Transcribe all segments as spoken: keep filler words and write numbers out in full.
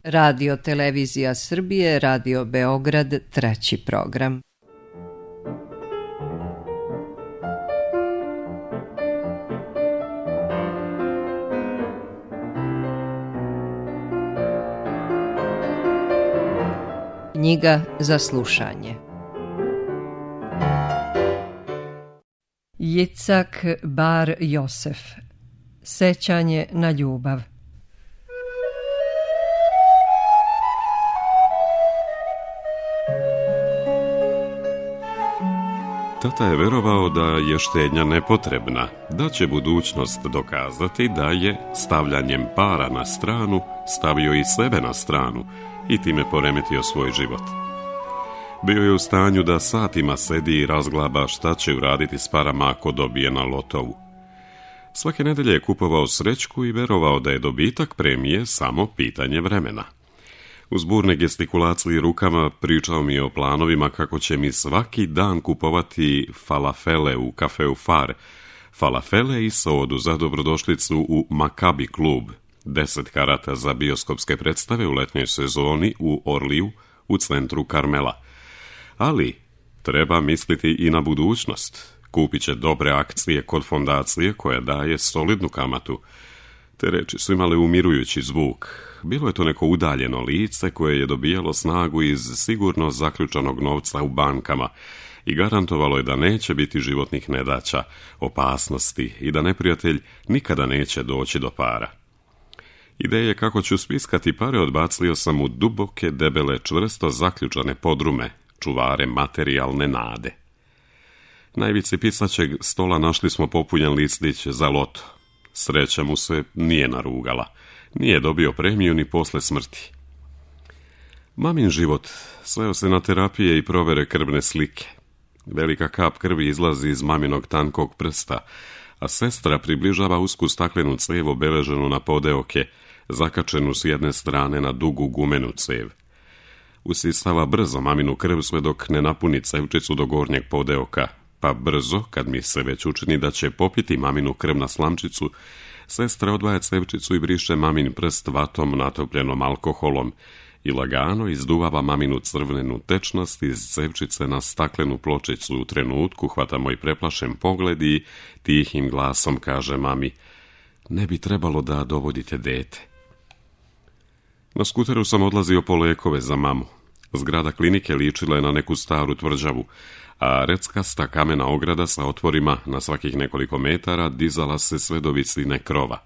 Radio Televizija Srbije, Radio Beograd, treći program. Knjiga za slušanje. Jicak Bar Josef. Sećanje na ljubav. Tata je verovao da je štednja nepotrebna, da će budućnost dokazati da je stavljanjem para na stranu stavio i sebe na stranu i time poremetio svoj život. Bio je u stanju da satima sedi i razglaba šta će uraditi s parama ako dobije na lotovu. Svake nedelje je kupovao srećku i verovao da je dobitak premije samo pitanje vremena. Uz burne gestikulacije rukama pričao mi je o planovima kako će mi svaki dan kupovati falafele u kafeu Far, falafele i sodu za dobrodošlicu u Makabi klub, deset karata za bioskopske predstave u letnjoj sezoni u Orliju u centru Karmela. Ali treba misliti i na budućnost. Kupit će dobre akcije kod fondacije koja daje solidnu kamatu. Te reči su imale umirujući zvuk. Bilo je to neko udaljeno lice koje je dobijalo snagu iz sigurno zaključanog novca u bankama i garantovalo je da neće biti životnih nedaća, opasnosti i da neprijatelj nikada neće doći do para. Ideje kako ću spiskati pare odbacio sam u duboke, debele, čvrsto zaključane podrume, čuvare materijalne nade. Na ivici pisaćeg stola našli smo popunjen listić za loto. Sreća mu se nije narugala. Nije dobio premiju ni posle smrti. Mamin život sveo se na terapije i provere krvne slike. Velika kap krvi izlazi iz maminog tankog prsta, a sestra približava usku staklenu cev obeleženu na podeoke, zakačenu s jedne strane na dugu gumenu cev. Usisava brzo maminu krv sve dok ne napuni cevčicu do gornjeg podeoka, pa brzo, kad mi se već učini da će popiti maminu krv na slamčicu, sestra odvaja cevčicu i briše mamin prst vatom natopljenom alkoholom i lagano izduvava maminu crvenu tečnost iz cevčice na staklenu pločicu. U trenutku hvata moj preplašen pogled i tihim glasom kaže mami: ne bi trebalo da dovodite dete. Na skuteru sam odlazio po lekove za mamu. Zgrada klinike ličila je na neku staru tvrđavu, a reckasta kamena ograda sa otvorima na svakih nekoliko metara dizala se sve do visine krova.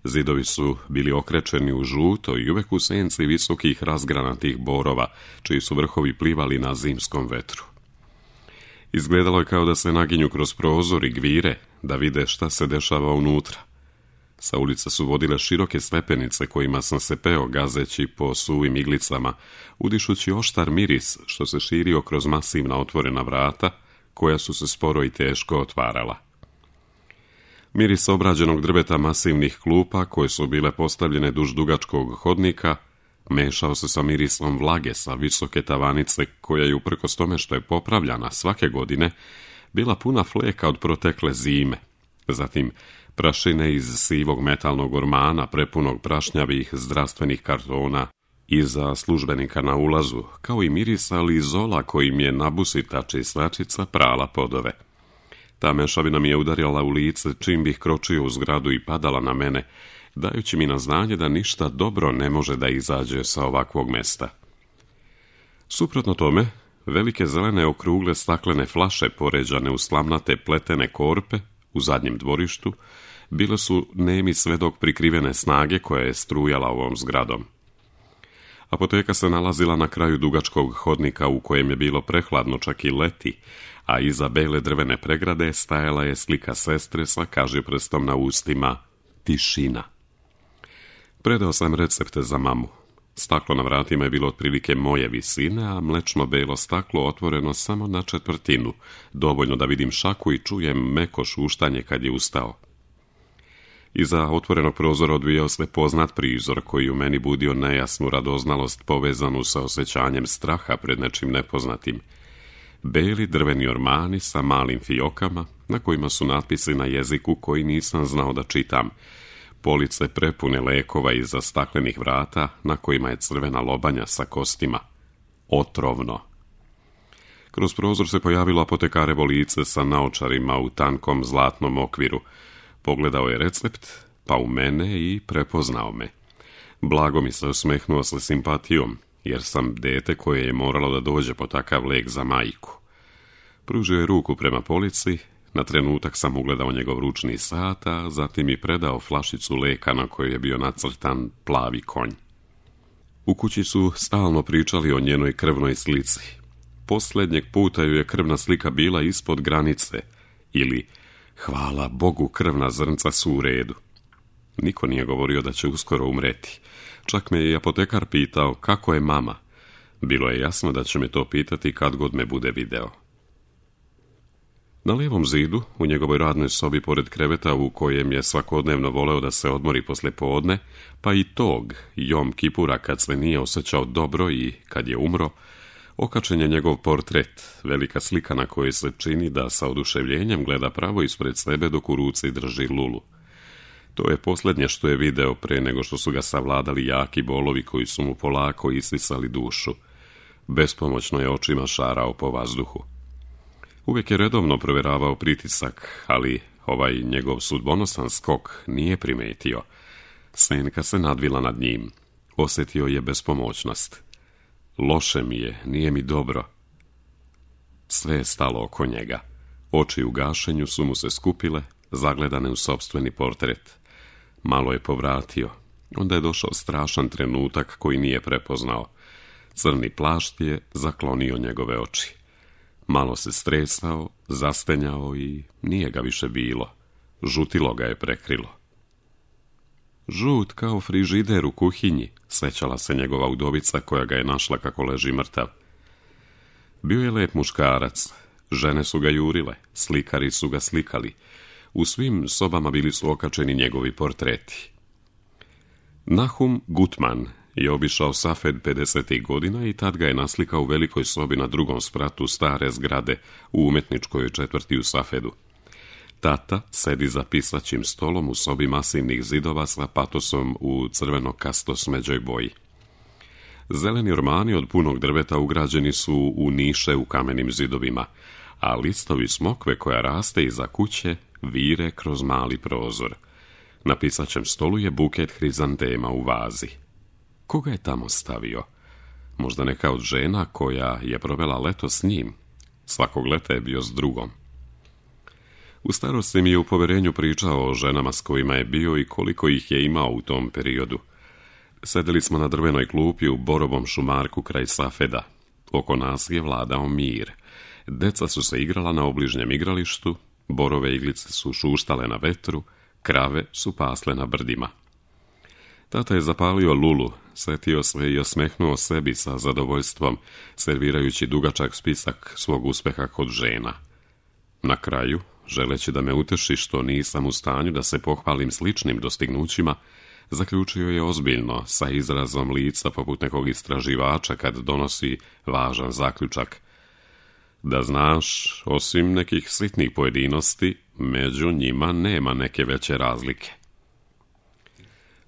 Zidovi su bili okrečeni u žuto i uvek u senci visokih razgranatih borova, čiji su vrhovi plivali na zimskom vetru. Izgledalo je kao da se naginju kroz prozor i gvire, da vide šta se dešava unutra. Sa ulice su vodile široke stepenice kojima sam se peo gazeći po suvim iglicama, udišući oštar miris što se širio kroz masivna otvorena vrata, koja su se sporo i teško otvarala. Miris obrađenog drveta masivnih klupa, koje su bile postavljene duž dugačkog hodnika, mešao se sa mirisom vlage sa visoke tavanice, koja je uprkos tome što je popravljana svake godine, bila puna fleka od protekle zime. Zatim prašine iz sivog metalnog ormana prepunog prašnjavih zdravstvenih kartona iza službenika na ulazu, kao i mirisa lizola kojim je nabusita čistačica prala podove. Ta mešavina mi je udarila u lice čim bih kročio u zgradu i padala na mene, dajući mi na znanje da ništa dobro ne može da izađe sa ovakvog mesta. Suprotno tome, velike zelene okrugle staklene flaše poređane u slamnate pletene korpe u zadnjem dvorištu bile su nemi svedok prikrivene snage koja je strujala ovom zgradom. Apoteka se nalazila na kraju dugačkog hodnika u kojem je bilo prehladno čak i leti, a iza bele drvene pregrade stajala je slika sestre sa kažiprstom na ustima: tišina. Predao sam recepte za mamu. Staklo na vratima je bilo otprilike moje visine, a mlečno belo staklo otvoreno samo na četvrtinu, dovoljno da vidim šaku i čujem meko šuštanje kad je ustao. Iza otvorenog prozora odvijao se poznat prizor koji u meni budio nejasnu radoznalost povezanu sa osjećanjem straha pred nečim nepoznatim. Beli drveni ormani sa malim fiokama, na kojima su natpisi na jeziku koji nisam znao da čitam. police prepune lekova iza staklenih vrata na kojima je crvena lobanja sa kostima. Otrovno. Kroz prozor se pojavilo apotekarevo lice sa naočarima u tankom zlatnom okviru. Pogledao je recept, pa u mene i prepoznao me. Blago mi se osmehnuo sa simpatijom, jer sam dete koje je moralo da dođe po takav lek za majku. Pružio je ruku prema polici, na trenutak sam ugledao njegov ručni sat, a zatim mi predao flašicu leka na kojoj je bio nacrtan plavi konj. U kući su stalno pričali o njenoj krvnoj slici. Posljednjeg puta ju je krvna slika bila ispod granice, ili hvala Bogu krvna zrnca su u redu. Niko nije govorio da će uskoro umreti. Čak me je i apotekar pitao kako je mama. Bilo je jasno da će me to pitati kad god me bude video. Na lijevom zidu, u njegovoj radnoj sobi pored kreveta u kojem je svakodnevno voleo da se odmori poslje podne, pa i tog Jom Kipura kad se nije osjećao dobro i kad je umro, okačen je njegov portret, velika slika na kojoj se čini da sa oduševljenjem gleda pravo ispred sebe dok u ruci drži lulu. To je posljednje što je video pre nego što su ga savladali jaki bolovi koji su mu polako isisali dušu. Bespomoćno je očima šarao po vazduhu. Uvijek je redovno provjeravao pritisak, ali ovaj njegov sudbonosan skok nije primetio. Senka se nadvila nad njim. Osjetio je bespomoćnost. Loše mi je, nije mi dobro. Sve je stalo oko njega. Oči u gašenju su mu se skupile, zagledane u sopstveni portret. Malo je povratio. Onda je došao strašan trenutak koji nije prepoznao. Crni plašt je zaklonio njegove oči. Malo se stresao, zastenjao i nije ga više bilo. Žutilo ga je prekrilo. Žut kao frižider u kuhinji, sećala se njegova udovica koja ga je našla kako leži mrtav. Bio je lep muškarac. Žene su ga jurile, slikari su ga slikali. U svim sobama bili su okačeni njegovi portreti. Nahum Gutman je obišao Safed pedesetih godina i tad ga je naslikao u velikoj sobi na drugom spratu stare zgrade u umetničkoj četvrti u Safedu. Tata sedi za pisaćim stolom u sobi masivnih zidova sa patosom u crveno-kasto smeđoj boji. Zeleni ormani od punog drveta ugrađeni su u niše u kamenim zidovima, a listovi smokve koja raste iza kuće vire kroz mali prozor. Na pisaćem stolu je buket hrizantema u vazi. Koga je tamo stavio? Možda neka od žena koja je provela leto s njim. Svakog leta je bio s drugom. U starosti mi je u poverenju pričao o ženama s kojima je bio i koliko ih je imao u tom periodu. Sedeli smo na drvenoj klupi u borovom šumarku kraj Safeda. Oko nas je vladao mir. Deca su se igrala na obližnjem igralištu, borove iglice su šuštale na vetru, krave su pasle na brdima. Tata je zapalio lulu, setio se i osmehnuo sebi sa zadovoljstvom, servirajući dugačak spisak svog uspeha kod žena. Na kraju, želeći da me uteši što nisam u stanju da se pohvalim sličnim dostignućima, zaključio je ozbiljno, sa izrazom lica poput nekog istraživača kad donosi važan zaključak. Da znaš, osim nekih sitnih pojedinosti, među njima nema neke veće razlike.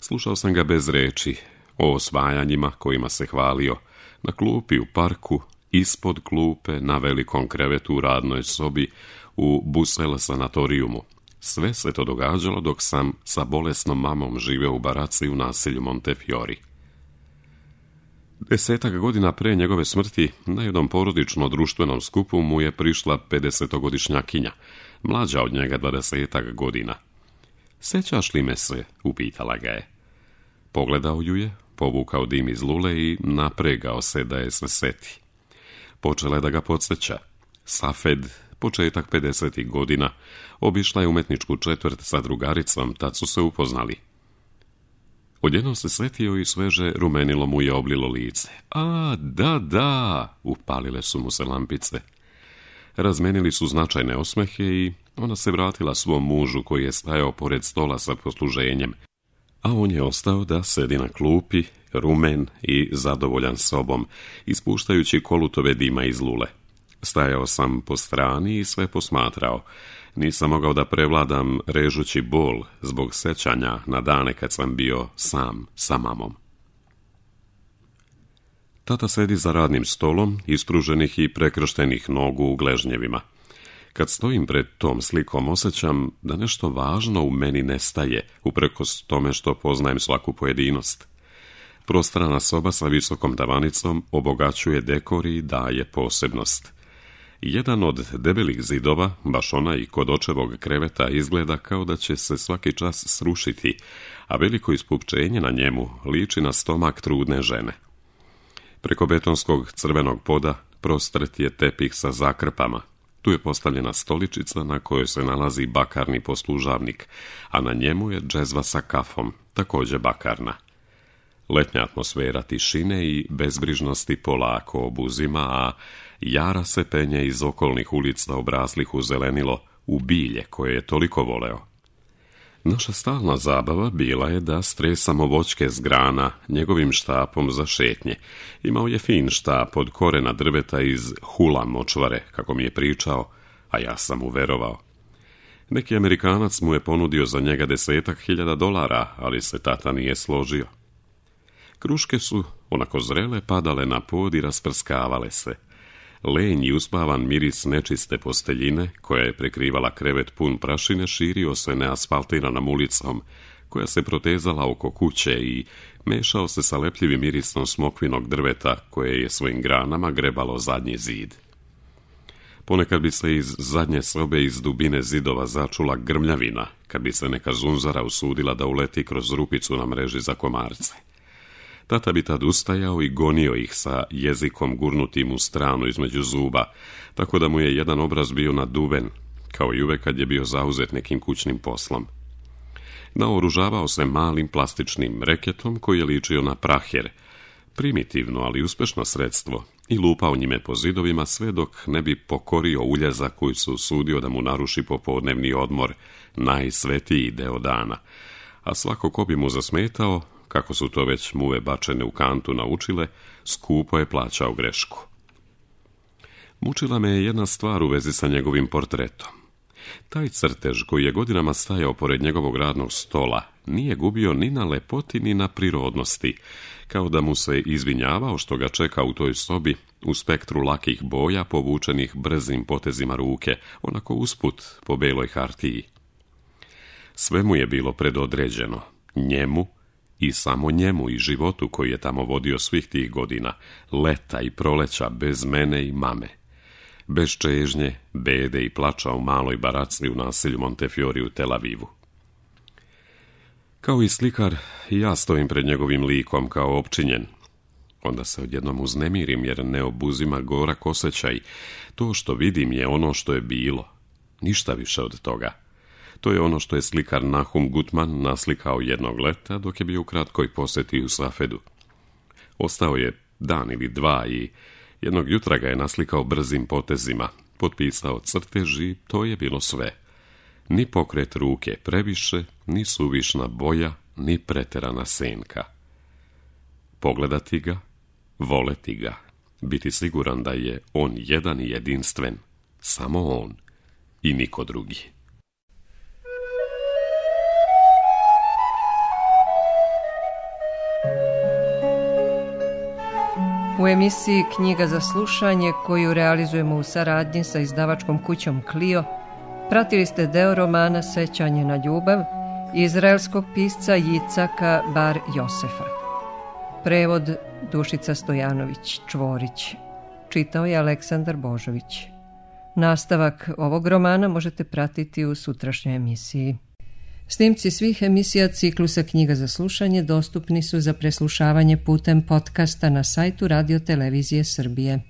Slušao sam ga bez reči, o osvajanjima kojima se hvalio, na klupi u parku, ispod klupe, na velikom krevetu u radnoj sobi, u Busel sanatorijumu. Sve se to događalo dok sam sa bolesnom mamom živeo u baraci u naselju Montefiori. Desetak godina pre njegove smrti na jednom porodično društvenom skupu mu je prišla pedesetogodišnjakinja, mlađa od njega dvadesetak godina. Sećaš li me se? Upitala ga je. Pogledao ju je, povukao dim iz lule i napregao se da je se seti. Počela je da ga podsjeća. Safed, početak pedesetih godina, obišla je umetničku četvrt sa drugaricom, tad su se upoznali. Odjednom se svetio i sveže rumenilo mu je oblilo lice. A, da, da, upalile su mu se lampice. Razmenili su značajne osmehe i ona se vratila svom mužu koji je stajao pored stola sa posluženjem, a on je ostao da sedi na klupi, rumen i zadovoljan sobom, ispuštajući kolutove dima iz lule. Stajao sam po strani i sve posmatrao. Nisam mogao da prevladam režući bol zbog sećanja na dane kad sam bio sam sa mamom. Tata sedi za radnim stolom, ispruženih i prekrštenih nogu u gležnjevima. Kad stojim pred tom slikom, osjećam da nešto važno u meni nestaje, uprkos tome što poznajem svaku pojedinost. Prostrana soba sa visokom tavanicom obogaćuje dekor i daje posebnost. Jedan od debelih zidova, baš onaj kod očevog kreveta, izgleda kao da će se svaki čas srušiti, a veliko ispupčenje na njemu liči na stomak trudne žene. Preko betonskog crvenog poda prostret je tepih sa zakrpama. Tu je postavljena stoličica na kojoj se nalazi bakarni poslužavnik, a na njemu je džezva sa kafom, također bakarna. Letnja atmosfera tišine i bezbrižnosti polako obuzima, a jara se penje iz okolnih ulica obraslih u zelenilo, u bilje koje je toliko voleo. Naša stalna zabava bila je da stresamo voćke s grana njegovim štapom za šetnje. Imao je fin štap od korena drveta iz hula močvare, kako mi je pričao, a ja sam mu verovao. Neki Amerikanac mu je ponudio za njega desetak hiljada dolara, ali se tata nije složio. Kruške su, onako zrele, padale na pod i rasprskavale se. Lenj i uspavan miris nečiste posteljine, koja je prekrivala krevet pun prašine, širio se neasfaltiranom ulicom, koja se protezala oko kuće i mešao se sa lepljivim mirisom smokvinog drveta, koje je svojim granama grebalo zadnji zid. Ponekad bi se iz zadnje sobe iz dubine zidova začula grmljavina, kad bi se neka zunzara usudila da uleti kroz rupicu na mreži za komarce. Tata bi tad ustajao i gonio ih sa jezikom gurnutim u stranu između zuba, tako da mu je jedan obraz bio naduven, kao i uvek kad je bio zauzet nekim kućnim poslom. Naoružavao se malim plastičnim reketom koji je ličio na praher, primitivno, ali uspešno sredstvo, i lupao njime po zidovima sve dok ne bi pokorio uljeza koji su usudio da mu naruši popodnevni odmor, najsvetiji deo dana, a svako ko bi mu zasmetao, kako su to već muve bačene u kantu naučile, skupo je plaćao grešku. Mučila me je jedna stvar u vezi sa njegovim portretom. Taj crtež koji je godinama stajao pored njegovog radnog stola nije gubio ni na lepoti ni na prirodnosti, kao da mu se izvinjavao što ga čeka u toj sobi u spektru lakih boja povučenih brzim potezima ruke, onako usput po beloj hartiji. Sve mu je bilo predodređeno, njemu i samo njemu i životu koji je tamo vodio svih tih godina, leta i proleća bez mene i mame. Bez čežnje, bede i plača u maloj baraci u naselju Montefiori u Tel Avivu. Kao i slikar, ja stojim pred njegovim likom kao opčinjen. Onda se odjednom uznemirim jer ne obuzima gorak osjećaj. To što vidim je ono što je bilo. Ništa više od toga. To je ono što je slikar Nahum Gutman naslikao jednog leta dok je bio u kratkoj posjeti u Safedu. Ostao je dan ili dva i jednog jutra ga je naslikao brzim potezima, potpisao crtež i to je bilo sve. Ni pokret ruke previše, ni suvišna boja, ni preterana senka. Pogledati ga, voleti ga, biti siguran da je on jedan i jedinstven, samo on i niko drugi. U emisiji Knjiga za slušanje, koju realizujemo u saradnji sa izdavačkom kućom Clio, pratili ste deo romana Sećanje na ljubav izraelskog pisca Jicaka Bar Josefa. Prevod Dušica Stojanović Čvorić. Čitao je Aleksandar Božović. Nastavak ovog romana možete pratiti u sutrašnjoj emisiji. Snimci svih emisija ciklusa Knjiga za slušanje dostupni su za preslušavanje putem podcasta na sajtu Radio Televizije Srbije.